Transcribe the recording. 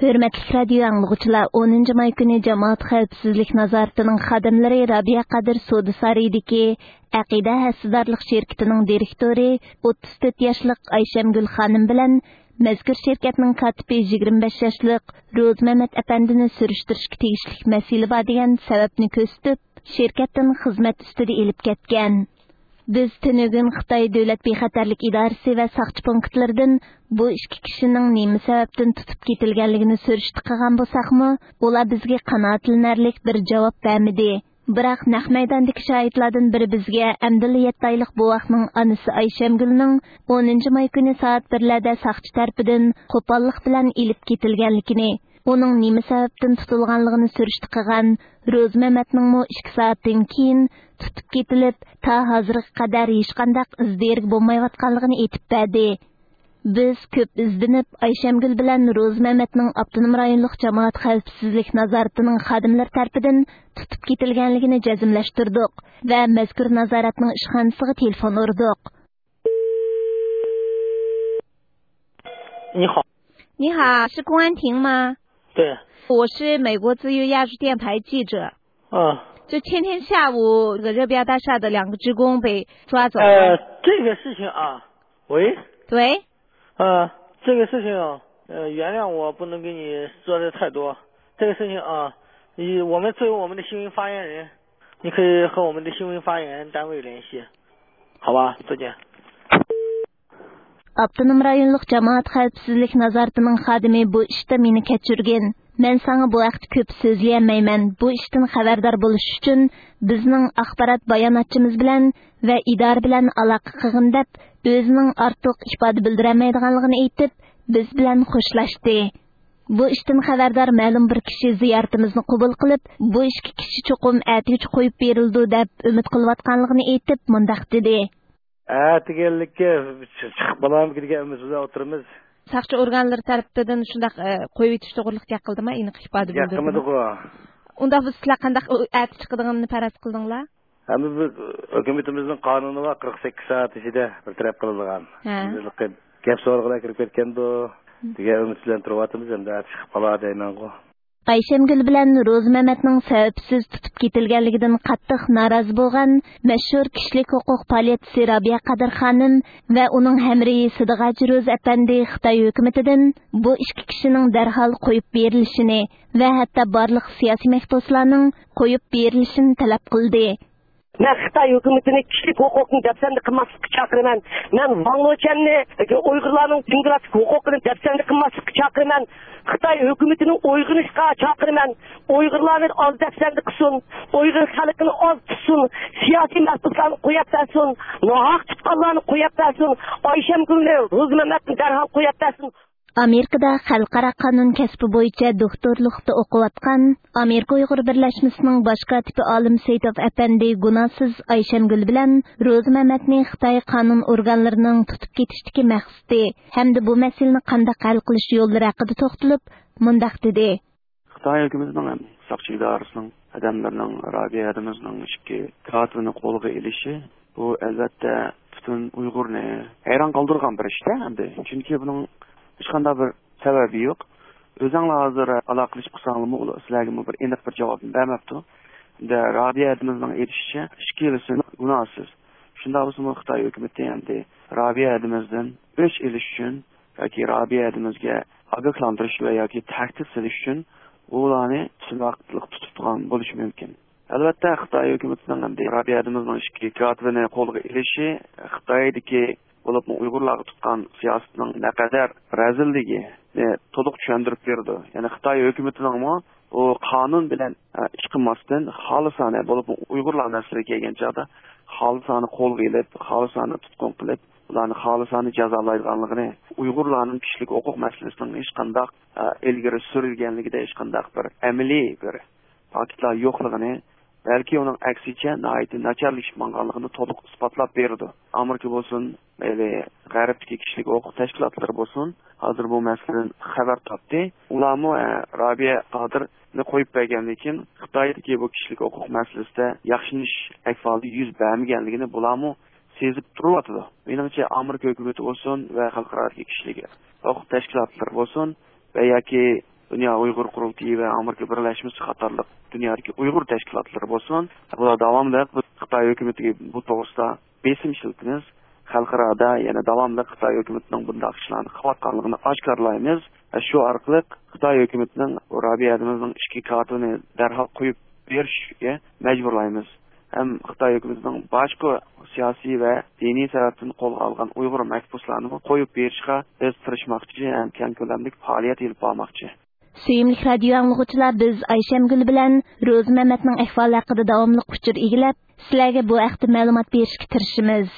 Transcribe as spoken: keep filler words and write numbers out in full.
ھۆرمەتلىك رادىيو ئاڭلىغۇچىلار، ئونىنچى ماي كۈنى جامائەت خەۋپسىزلىك نازارىتىنىڭ خادىملىرى رابىيە قادىر سودا سارىيىدىكى ئەقىدە ھەسسىدارلىق شىركىتىنىڭ دىرېكتورى ئوتتۇز تۆت ياشلىق ئايشەمگۈل خانىم بىلەن مەزكۇر شىركەتنىڭ كاتىپى يىگىرمە بەش ياشلىق روزىمەمەت ئەپەندىنى سۈرۈشتۈرۈشكە تېگىشلىك مەسىلە بار دېگەن سەۋەبنى كۆرسىتىپ، شىركەتتىن خىزمەت ئۈستىدە ئېلىپ كەتكەن. بىز تۈنۈگۈن خىتاي دۆلەت بىخەتەرلىك ئىدارىسى ۋە ساقچى پونكىتلىرىدىن بۇ ئىككى كىشىنىڭ نېمە سەۋەبتىن تۇتۇپ كېتىلگەنلىكىنى سۈرۈشتە قىلغان بولساقمۇ، ئۇلار بىزگە قانائەتلىنەرلىك بىر جاۋاب بەرمىدى. بىراق نەق مەيداندىكى شاھىتلاردىن بىرى بىزگە ئەمدىلا يەتتە ئايلىق بوۋاقنىڭ ئانىسى ئايشەمگۈلنىڭ ئونىنچى ماي كۈنى سائەت بىرلەردە ساقچى تەرىپىدىن قوپاللىق بىلەن ئېلىپ كېتىلگەنلىكىنى، ئۇنىڭ نېمە سەۋەبتىن تۇتۇلغانلىقىنى سۈرۈشتە قىلغان روزىمەمەتنىڭمۇ ئىككى سائەتتىن كېيىن تۇتۇپ كېتىلىپ، تا ھازىرغا قەدەر ھېچقانداق ئىز دېرىكى بولمايۋاتقانلىقىنى ئېيتىپ بەردى. بىز كۆپ ئىزدىنىپ، ئايشەمگۈل بىلەن روزىمەمەتنىڭ ئاپتونوم رايونلۇق جامائەت خەۋپسىزلىك نازارىتىنىڭ خادىملىرى تەرىپىدىن تۇتۇپ كېتىلگەنلىكىنى جەزملەشتۈردۇق ۋە مەزكۇر نازارەتنىڭ ئىشخانىسىغا تېلېفون ئۇردۇق. 你好。你好，是公安厅吗？对。我是美国自由亚洲电台记者。啊。就前天下午，这个热比亚大厦的两个职工被抓走了。呃，这个事情啊，喂。喂。呃，这个事情啊，呃，原谅我不能跟你说的太多。这个事情啊，你，我们作为我们的新闻发言人，你可以和我们的新闻发言单位联系，好吧？再见。 ئاپتونوم رايونلۇق جامائەت خەۋپسىزلىك نازارىتىنىڭ خادىمى بۇ ئىشتا مېنى كەچۈرگىن. مەن ساڭا بۇ ھەقتە كۆپ سۆزلىيەلمەيمەن. بۇ ئىشتىن خەۋەردار بولۇش ئۈچۈن بىزنىڭ ئاخبارات باياناتچىمىز بىلەن ۋە ئىدارە بىلەن ئالاقە قىلغىن دەپ، ئۆزىنىڭ ئارتۇق ئىپادە بىلدۈرەلمەيدىغانلىقىنى ئېيتىپ، بىز بىلەن خوشلاشتى. بۇ ئىشتىن خەۋەردار مەلۇم بىر كىشى زىيارىتىمىزنى قوبۇل قىلىپ، بۇ ئىككى كىشى چوقۇم ئەتىگىچە قويۇپ بېرىلىدۇ دەپ ئۈمىد قىلىۋاتقانلىقىنى ئېيتىپ، مۇنداق دېدى. ئەتىگەنلىككە چىقىپ بولامىكىن دېگەن ئۈمىد بىلەن ئولتۇرىمىز. ساقچى ئورگانلىرى تەرىپىدىن شۇنداق، ئە، قويۇۋېتىش توغرىلىق گەپ قىلدىما، ئېنىق ئىپادە بىلدۈردىمۇ؟ گەپ قىلمىدىغۇ. ئۇنداق بولسا سىلەر قانداق، ئۇ ئەتە چىقىدىغىنىنى پەرەز قىلدىڭلار؟ ھەمدە بىز ھۆكۈمىتىمىزنىڭ قانۇنى بار، قىرىق سەككىز سائەت ئىچىدە بىر تەرەپ قىلىدىغان. ھە. بىز گەپ سورىغىلى كىرىپ كەتكەندۇ دېگەن ئۈمىد بىلەن تۇرۇۋاتىمىز، ئەمدى ئەتە چىقىپ قالار دەيمەنغۇ. ئايشەمگۈل بىلەن روزىمەمەتنىڭ سەۋەبسىز تۇتۇپ كېتىلگەنلىكىدىن قاتتىق نارازى بولغان مەشھۇر كىشىلىك ھوقۇق پائالىيەتچىسى رابىيە قادىر خانىم ۋە ئۇنىڭ ھەمراھى سىدىغاچ روزى ئەپەندى خىتاي ھۆكۈمىتىدىن بۇ ئىككى كىشىنىڭ دەرھال قويۇپ بېرىلىشىنى ۋە ھەتتا بارلىق سىياسىي مەھبۇسلارنىڭ قويۇپ بېرىلىشىنى تەلەپ قىلدى. مەن خىتاي ھۆكۈمىتىنى كىشىلىك ھوقۇقنى دەپسەندە قىلماسلىققا چاقىرىمەن. مەن ۋاڭ لېچۈەننى ئۇيغۇرلارنىڭ دېموكراتىك ھوقۇقىنى دەپسەندە قىلماسلىققا چاقىرىمەن. خىتاي ھۆكۈمىتىنى ئويغىنىشقا چاقىرىمەن. ئۇيغۇرلارنى ئاز دەپسەندە قىلسۇن. ئۇيغۇر خەلقىنى ئاز تۇتسۇن. سىياسىي مەھبۇسلارنى قويۇپ بەرسۇن. ناھەق تۇتقانلارنى قويۇپ بەرسۇن. ئايشەمگۈلنى، روزىمەمەتنى دەرھال قويۇپ بەرسۇن. ئامېرىكىدا خەلقئارا قانۇن كەسپى بويىچە دوكتورلۇقتا ئوقۇۋاتقان ئامېرىكا ئۇيغۇر بىرلەشمىسىنىڭ باش كاتىپى ئالىم سېيىتوف ئەپەندى گۇناھسىز ئايشەمگۈل بىلەن روزى مەمەتنى خىتاي قانۇن ئورگانلىرىنىڭ تۇتۇپ كېتىشتىكى مەقسىتى ھەمدە بۇ مەسىلىنى قانداق ھەل قىلىش يوللىرى ھەققىدە توختىلىپ، مۇنداق دېدى. خىتاي ھۆكۈمىتىنىڭ ھەم ساقچى ئىدارىسىنىڭ خادىملىرىنىڭ رابىيە ھەدىمىزنىڭ ئىككى كاتىپىنى قولغا ئېلىشى، بۇ، ئەلۋەتتە، پۈتۈن ئۇيغۇرنى ھەيران قالدۇرغان بىر ئىش-تە ئەمدى. چۈنكى بۇنىڭ ھېچقانداق بىر سەۋەبى يوق. ئۆزۈڭلار ھازىر ئالاقىلىشىپ قالساڭلارمۇ، ئۇلار سىلەرگىمۇ بىر ئېنىق بىر جاۋابنى بەرمەپتۇ. ئەمدى رابىيە ھەدىمىزنىڭ ئېيتىشىچە، ئىككىلىسى گۇناھسىز. شۇنداق بولسىمۇ خىتاي ھۆكۈمىتى ئەمدى رابىيە ھەدىمىزدىن ئۆچ ئېلىش ئۈچۈن ياكى رابىيە ھەدىمىزگە ئاگاھلاندۇرۇش ۋە ياكى تەھدىت سېلىش ئۈچۈن ئۇلارنى تۇتۇناقلىق تۇتۇپ تۇرغان بولۇشى مۇمكىن. ئەلۋەتتە، خىتاي ھۆكۈمىتىنىڭ ئەمدى رابىيە ھەدىمىزنىڭ ئىككى كاتىپىنى قولغا ئېلىشى خىتايدىكى، بولۇپمۇ ئۇيغۇرلارغا تۇتقان سىياسىتىنىڭ نەقەدەر رەزىللىكىنى تولۇق چۈشەندۈرۈپ بېرىدۇ. يەنى خىتاي ھۆكۈمىتىنىڭمۇ بۇ قانۇن بىلەن، ئە، ئىش قىلماستىن، خالىسانە، بولۇپمۇ ئۇيغۇرلار مەسىلىگە كەلگەن چاغدا خالىسانە قولغا ئېلىپ، خالىسانە تۇتقۇن قىلىپ، ئۇلارنى خالىسانە جازالايدىغانلىقىنى، ئۇيغۇرلارنىڭ كىشىلىك ھوقۇق مەسىلىسىنىڭ ھېچقانداق، ئە، ئىلگىرى سۈرۈلگەنلىكىدە ھېچقانداق بىر ئەمەلىي بىر پاكىتلار يوقلۇقىنى، بەلكى ئۇنىڭ ئەكسىچە ناھايىتى ناچارلىشىپ ماڭغانلىقىنى تولۇق ئىسپاتلاپ بېرىدۇ. ئامېرىكا بولسۇن، مەيلى غەربتىكى كىشىلىك ھوقۇق تەشكىلاتلىرى بولسۇن، ھازىر بۇ مەسىلىدىن خەۋەر تاپتى. ئۇلارمۇ، ئە، رابىيە قادىرنى قويۇپ بەرگەندىن كېيىن، خىتايدىكى بۇ كىشىلىك ھوقۇق مەسىلىسىدە ياخشىلىنىش ئەھۋالى يۈز بەرمىگەنلىكىنى بۇلارمۇ سېزىپ تۇرۇۋاتىدۇ. مېنىڭچە، ئامېرىكا ھۆكۈمىتى بولسۇن ۋە خەلقئارادىكى كىشىلىك ھوقۇق تەشكىلاتلىرى بولسۇن ۋە ياكى دۇنيا ئۇيغۇر قۇرۇلتىيى ۋە ئامېرىكا بىرلەشمىسى قاتارلىق دۇنيادىكى ئۇيغۇر تەشكىلاتلىرى بولسۇن، بۇلار داۋاملىق خىتاي ھۆكۈمىتىگە بۇ توغرىسىدا بېسىم ئىشلىتىمىز. خەلقئارادا يەنە داۋاملىق خىتاي ھۆكۈمىتىنىڭ بۇنداق ئىشلارنى قىلىۋاتقانلىقىنى ئاشكارىلايمىز. شۇ ئارقىلىق خىتاي ھۆكۈمىتىنىڭ رابىيە ھەدىمىزنىڭ ئىچكى كاتىپىنى دەرھال قويۇپ بېرىشكە مەجبۇرلايمىز. ھەم خىتاي ھۆكۈمىتىنىڭ باشقا سىياسىي ۋە دىنىي سەۋەبتىن قولغا ئالغان ئۇيغۇر مەھبۇسلارنىمۇ قويۇپ بېرىشقا بىز تىرىشماقچى ھەم كەڭ كۆلەملىك پائالىيەت ئېلىپ بارماقچى. سۆيۈملۈك رادىيو ئاڭلىغۇچىلار، بىز ئايشەمگۈل بىلەن روزى مەمەتنىڭ ئەھۋالى ھەققىدە داۋاملىق ئۇچۇر ئىگىلەپ، سىلەرگە بۇ ھەقتە مەلۇمات بېرىشكە تىرىشىمىز.